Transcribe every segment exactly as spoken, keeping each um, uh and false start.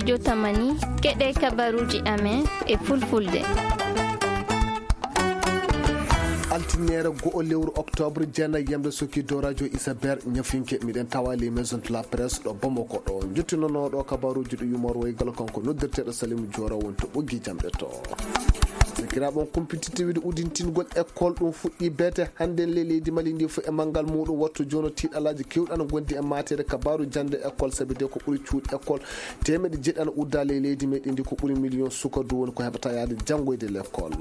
Jotamani, keɗe kabaruji amen e fulfulde. Altineere go'o lewru octobre, jeenayi yamde sokki dow radio Isabelle Ñafinke, miɗen tawa les maisons de la presse ɗo Bamako ɗo. Jottinonooɗo kabaruji ɗo yumor woygal kanko noddirteeɗo Salim Diora woni to ɓoggi jamɗe to. Sakiraaɓe on kumpititte wiide udintingol école ɗum fuɗɗi beete hannde le leydi Mali ndi fof e manngal muɗum. Wattu jooni o tiiɗalaaji kewɗi ana ngondi e mateede kabaru jannde école, sabi de ko ɓuri cuuɗi école teemeɗe jeɗɗi ana udda le leydi meɗen ndi, ko ɓuri million suka du woni ko heɓata yaade janngoyde l'école.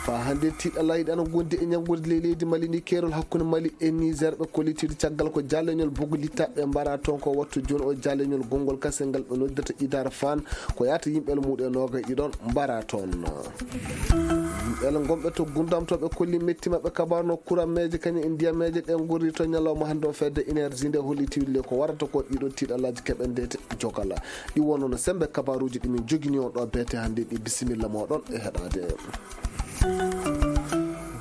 Fa hannde tiiɗalaaji ɗi ana ngondi e ñanngude le leydi Mali ndi, keerol hakkunde Mali e Niger ɓe kollitiri caggal ko jaleñol bogo littaɓe mbara toon ko wattu jooni o jaleñol gonngol kase ngal ɓe noddirta Idar Fan, ko yahata yimɓe almuuɗe noogay ɗiɗon mbara toon. Yimɓe gonɓe to Gundam to ɓe kolli metti maɓɓe kabaru no kurameeje kañum e ndiyameeje ɗe ngorri to ñalawma hannde o fedde énergie nde holli tiwille ko warata ko ɗiɗo tiiɗalaaji keɓe ndete jogala. Ɗi wonno no sembe kabaruji ɗi min jogini on ɗo beete hannde ɗi, bisimilla moɗon e heɗade.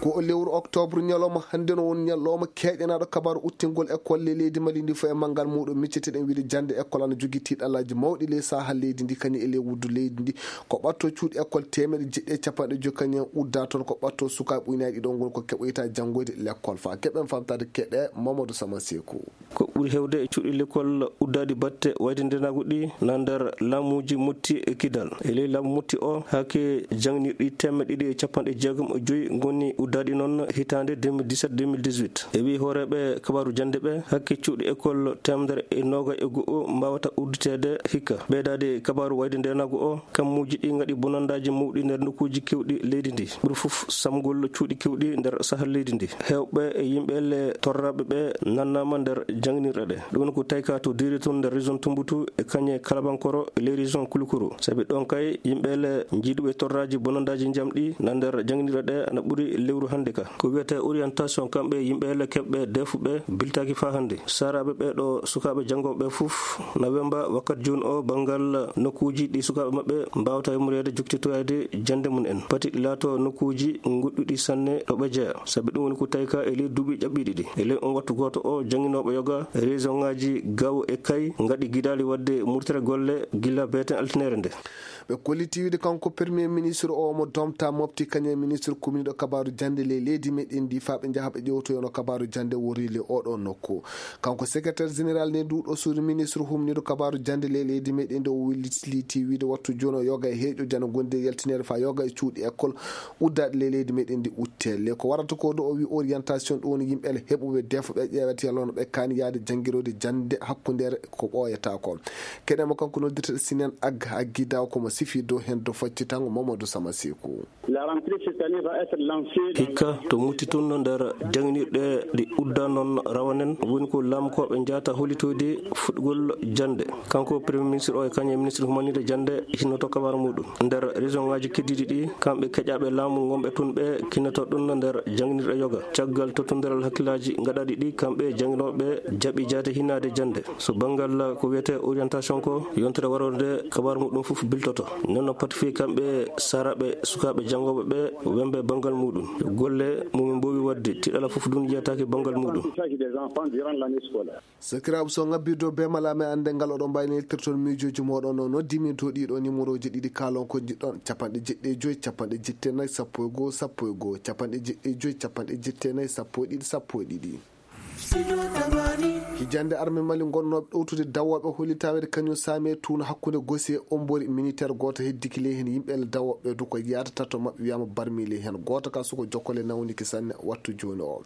Ko o lewru octobre, ñalawma hannde no woni ñalawma keƴanaɗo kabaru uttingol école le leydi Mali ndi fof e manngal muɗum. Micceteɗen wiide jannde école ana jogii tiiɗalaaji mawɗi ley saha leydi ndi kañum e ley wuddu leydi ndi. Ko ɓatto cuuɗi école teemeɗe jeɗɗi e capanɗe joyi kañum en udda toon, ko ɓatto sukaaɓe ujunaaji ɗiɗon ngoni ko keɓoyta janngoyde l'école. Fa keɓen famtade keɗe Mamadou Sama Seku. Ko ɓuri heewde e cuuɗi l'école uddaaɗi batte wayde ndenaagu ɗi na nder laamuuji motti e kidal. E ley laamu motti o, hakke jangnirɗi teemeɗe ɗiɗi e capanɗe jeegom e joyi ngoni uddaaɗi noon hitaande deux mille dix-sept deux mille dix-huit. E wii hooreeɓe kabaaru jannde ɓe, hakke cuuɗi école teemedere e noogay e go'o mbaawata udditeede hikka. Ɓeydaade kabaaru wayde ndenaagu o, kammuuji ɗi ngaɗi bonandaaji mawɗi nder nokkuuji keewɗi leydi ndi. Ɓuri fof samgol cuuɗi keewɗi nder sahal leydi ndi. Heewɓe e yimɓe le torraaɓe ɓe nannaama nder jangnirɗe ɗe. Ɗum woni ko tawi ka to Diri toon nder région Tumboutu e Kanye Kalabankoro e les régions Kouloukoro. Sabi ɗoon kay yimɓe le njiiduɓe torraaji bonandaaji njamɗi na nder jangnirɗe ɗe ana ɓuri lewru hannde ka. Ko wiyetee orientation kamɓe yimɓe le keɓɓe defuɓe biltaaki faa hannde. Saaraaɓe ɓe ɗo sukaaɓe janngooɓe ɓe fof na wemba wakkat jooni o banngal nokkuuji ɗi sukaaɓe maɓɓe mbaawata yummoreede jokkitoyaade jannde mum en. Pati ɗi laato nokkuuji goɗɗuɗi sanne ɗo ɓe jeya. Sabi ɗum woni ko tawi ka e ley duuɓi ƴaɓɓiiɗi ɗi. E ley on wattu gooto o, jannginooɓe yoga, région ŋaaji Gao e Kay ngaɗi gidaali waɗde murtere golle gila beeten altineere nde. Ɓe kolliti wiide kanko premier ministre o mo domta mofti kañum e ministre kumniiɗo kabaaru jannde ley leydi meɗen ndi faa ɓe njaha ɓe ƴewtoyono kabaaru jannde worri le oɗo nokku. Kanko secrétaire général ne nduɗo suudu ministre humniiɗo kabaaru jannde ley leydi meɗen ndi o welliti wiide wattu jooni o yoga e heeƴo jana gondi e yaltineede faa yoga e cuuɗi école uddaaɗi ley leydi meɗen ndi uttelle. Ko warata ko ɗo o wi orientation ɗum woni yimɓe ele heɓuɓe defo ɓe ƴeewata yalla hono ɓe kaani yaade janngiroyde jannde hakkundeere ko ɓooyata ko. Keɗen mo kanko noddirteɗo Sinen Ag Agida ko mo sifi dow heen dow faccitango Mamadou Sama Seku. La rentrée cette année va être lancée dans hikka to mutti tun nder janginirɗe ɗi udda noon rawanen woni ko laamkooɓe njaata holitoyde fuɗgol jannde. Kanko premier ministre o e kañum e ministre humanide jannde hinnoto kabar muɗum. Nder région ngaji keddiɗi ɗi, kamɓe keƴaɓe laamu ngonɓe tun ɓe kinnoto ɗum nder janginirɗe yoga. Caggal tottondiral hakkillaji gaɗaɗi ɗi, kamɓe janginoɓe jaɓi jaate hinnaade jannde. So banngal ko wiyetee orientation ko, yontere warorde kabar muɗum fof biltoto. Nden no pati fii kamɓe saraɓe sukaaɓe janngooɓe ɓe wembe banngal muɗum. Golle mumen mboowi waɗde, tiɗala fof ɗum yiyataake banngal muɗum. Sakiraaɓe, so ngabbi dow be malame annde ngal oɗon mbayni eltirton miijooji mooɗon o noddimi dow ɗiɗo numéroji ɗiɗi kaalon ko jiɗɗon, capanɗe jeɗɗi e joyi, capanɗe jeɗɗi e nayi, sappo e goo, sappo e goo, capanɗe jeɗɗi e joyi, capanɗe jeɗɗi e nayi, sappo e ɗiɗi, sappo e ɗiɗi. Hijande arme Mali gonnooɓe ɗowtude dawooɓe holli tawede kañum saami e tuuna hakkunde Gosi e Ombori, militaire gooto heddiki ley heen yimɓe ele dawooɓe du ko yahata tato maɓɓe wiyama barmi ley heen. Gooto ka suko jokkole nawniki sanne wattu jooni o.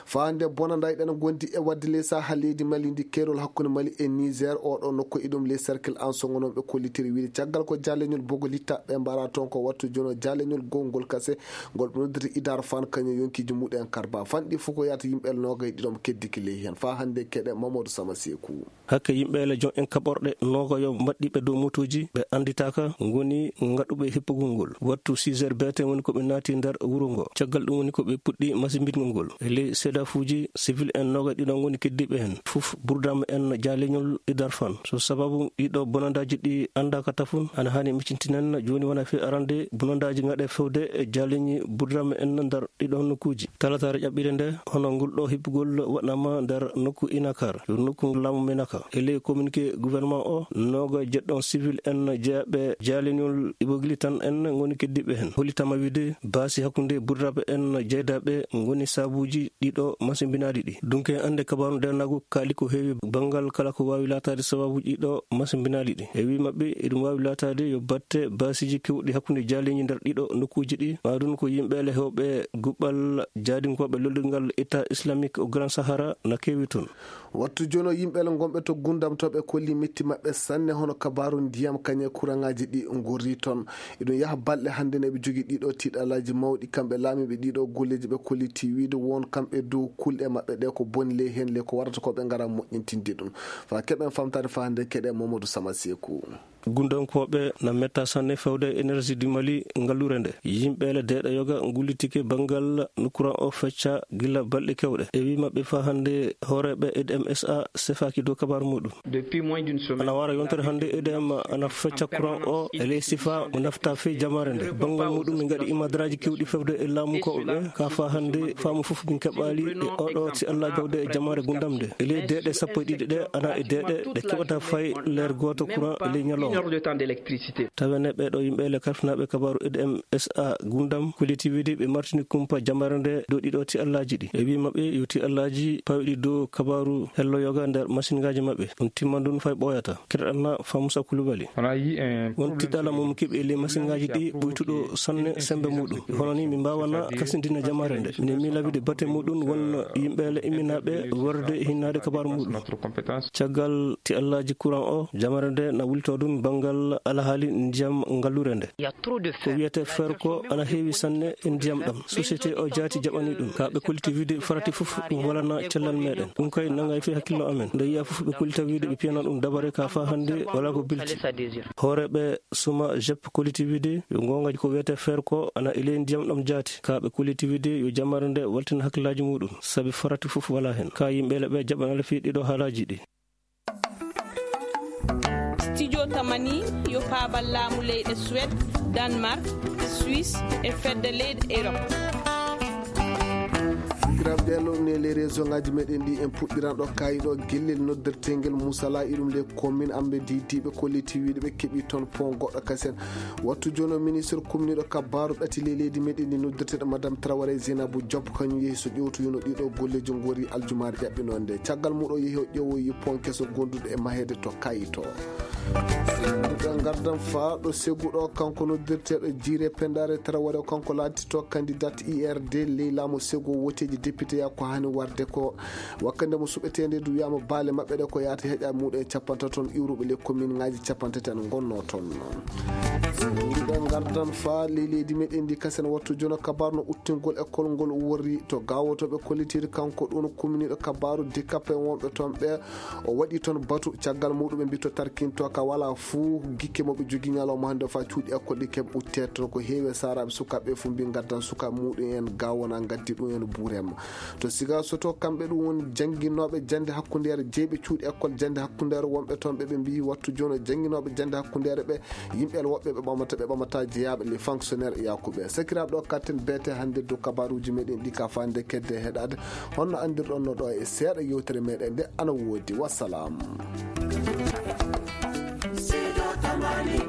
Faa hannde bonanda e ɗen gondi e wadde ley saha leydi Mali ndi keerol hakkunde Mali e Niger, oɗo nokku e ɗum ley cercle en songo noon ɓe kollitiri wiide caggal ko jaleñol bogo littaɓe mbara toon ko wattu jooni o jaleñol gongol kase ngol ɓe noddirta Idar Fan kañum yonkiji muɗen karba fanɗi fof ko yahata yimɓe ele noogay ɗiɗo mo keddiki ley heen. Faa hannde keɗe Mamadou Sama Seku. Hakke yimɓe ele joom en kaɓorɗe noogayo mbaɗɗiɓe dow motuuji ɓe annditaaka ngoni ngaɗuɓe hippugol ngol. Wattu six heures beete woni ko ɓe naati nder wuro ngo. Caggal ɗum woni ko ɓe puɗɗi masimbitgol ngol. E ley seedafuuji, sivil en noogayo ɗiɗo ngoni keddiiɓe heen. Fof burdaama en jaaleñol Idar Fan. So sababu ɗiɗo bonandaaji ɗi anndaaka tafun, ana haani miccintinen jooni wona fii arande bonandaaji ngaɗe fewde e jaaleñi burdaama en nder ɗiɗo nokkuuji. Talataare ƴaɓɓiire nde, hono ngol ɗo hippugol waɗa waɗnama nder nokku Inakar, yo nokku laamu Menaka. E ley communiqué gouvernement o, nooga jeɗɗon civil en jeyaɓe jaalinol Ibogili tan en ngoni keddiiɓe heen. Hollitama wiide baasi hakkunde burdaɓe en jeydaaɓe ngoni sabuuji ɗiɗo masimbinaaɗi ɗi. Dunke annde kabaaru ndeenaagu kaali ko heewi banngal kala ko waawi laataade sababuuji ɗiɗo masimbinaaɗi ɗi. E wii maɓɓe, eɗum waawi laataade yo batte baasiiji keewɗi hakkunde jaaliiji nder ɗiɗo nokkuuji ɗi, maa ɗum ko yimɓe le heewɓe guɓɓal jaadinkooɓe lollirngal État Islamique au Grand Sahara na keewi toon. Wattu jono yimɓe le ngonɓe to Gundam to ɓe kolli metti maɓɓe sanne hono kabaaru ndiyam kañe kuraŋaaji ɗi ngorri toon. Eɗum yaha balɗe hannde ne ɓe jogii ɗiɗo tiiɗalaaji mawɗi kamɓe laamiiɓe ɗiɗo golleeji ɓe kolliti wiide won kamɓe dow kulɗe maɓɓe ɗe ko boni ley heen le ko warata ko ɓe ngara moƴƴintinde ɗum. Fa keɓen famtaade fa hannde keɗe Mamadou Sama Seeku. Gundankooɓe na metta sanne fewde énergie du Mali ngalluure nde. Yimɓe le deeɗa yoga ngullitike banngal no courant o fecca gila balɗe kewɗe. E wii maɓɓe fa hannde hooreeɓe E D M S A sefaaki dow kabaaru muɗum. Depuis moins d'une semaine, ana wara yontere hannde E D M ana fecca courant o e ley sifa mo nafta fii jamaare nde. Banngal muɗum min ngaɗi imadraaji kewɗi fewde e laamu ko ɓe ka fa hannde faamu fof min keɓaali e oɗo si Allah jawde e jamaare Gundam nde. E ley deeɗe sappo e ɗiɗi ɗe ana e deeɗe ɗe keɓata fay leer gooto courant e ley ñalawma. Une heure de temps d'électricité. Tawene ɓeeɗo yimɓe le karfinaaɓe kabaaru E D M S A Gundam, kolliti wiide ɓe martini kumpa jamaare nde dow ɗiɗo tiiɗalaaji ɗi. E wii maɓɓe yo tiiɗalaaji pawɗi dow kabaaru hello yoga nder masiŋaaji maɓɓe. Ɗum timmandun fay ɓooyata. Keɗoɗon na Famusa Kulubali. On a eu un problème. Won tiiɗalla mo keɓi e ley masiŋaaji ɗi ɓuytuɗo sanne sembe muɗum. Hono ni mi mbaawana kasindina jamaare nde. Mine miila wiide bate muɗum won yimɓe le imminaaɓe warde hinnaade kabaaru muɗum. Caggal tiiɗallaaji courant o, jamaare nde na wulto ɗum banngal alhaali ndiyam ngalluure nde. Ko wiyete fer ko ana heewi sanne e ndiyam ɗam. Société o jaati jaɓani ɗum. Ka ɓe kolliti wiide farati fof ɗum walana cellal meɗen. Ɗum kay nangay fii hakkillo amen. Nde yiya fof ɓe kollita wiide ɓe piyana ɗum dabare ka fa hannde wala ko bilti. Hooreeɓe Suma Jep kolliti wiide yo goonga ko wiyete fer ko ana e ley ndiyam ɗam jaati. Ka ɓe kolliti wiide yo jamaare nde waltina hakkillaaji muɗum. Sabi farati fof wala heen. Ka yimɓe le ɓe jaɓana le fii ɗiɗo haalaaji ɗi. Studio Tamani yo paabal laamu leyɗe Suède, Danemark, Suisse e fedde leyɗe Europe. Sakiraaɓe, ɗee ɗoo ne les réseau ngaaji meɗen ɗi en puɗɗiran ɗo kaayi ɗo gellel noddirteengel Musala iɗum les communes amɓe diidiiɓe kolliti wiide ɓe keɓi toon pont goɗɗo kasen. Wattu jooni o ministre communiɗo kabaaru ɗati ley leydi meɗen ndi noddirteeɗo Madame Traoré Zainabou Diop, kañum yehi so ƴewtoyino ɗiɗo golleeji ngori aljumaare ƴaɓɓinoo nde. Caggal muɗo yehi o ƴeewoyi pont keso gonduɗo e maheede to Kayto. Ɓe ngardan faa ɗo Segu ɗo, kanko noddirteeɗo Jiire Pendaare Traoré, kanko laatito candidat I R D ley laamu Segu, woteeji député ya ko hani warde ko. Wakkande mo suɓeteende du wiyaama baale maɓɓe ɗe ko yaata heƴa muɗum e capantato toon iwruɓe le commune ngaaji capantati en ngonno toon. Ɓe ngardan faa ley leydi meɗen ndi kasen wattu jono kabaru no uttingol école ngol worri to gawotoɓe kollitiri kanko ɗum communiɗo kabaru dikape wonɓe toon ɓe o waɗi toon batu caggal muɗum ɓe mbitto tarkinto ka wala fuu gikke mo ɓe jogi ñalawma hannde faa cuuɗi école ɗi keɓ utte toon ko heewi e saaraaɓe sukaaɓe fuu mbi ngaddan sukaaɓe muɗum en gawona ngaddi ɗum en buurema. To Siga Soto, kamɓe ɗum woni jannginooɓe jannde hakkundeere, jeyɓe cuuɗi école jannde hakkundeere wonɓe toon, ɓe ɓe mbiyi wattu jooni jannginooɓe jannde hakkundeere ɓe, yimɓe woɓɓe ɓe ɓamata, ɓe ɓamata jeyaaɓe, les fonctionnaires e yakuɓe. Sakiraaɓe, ɗo katten beete hannde dow kabaruuji meɗen ɗi ka faande kedde heɗaade. Honno anndirɗon no ɗo e seeɗa yewtere meɗen nde ana woodi. Wassalam. Sido Tamani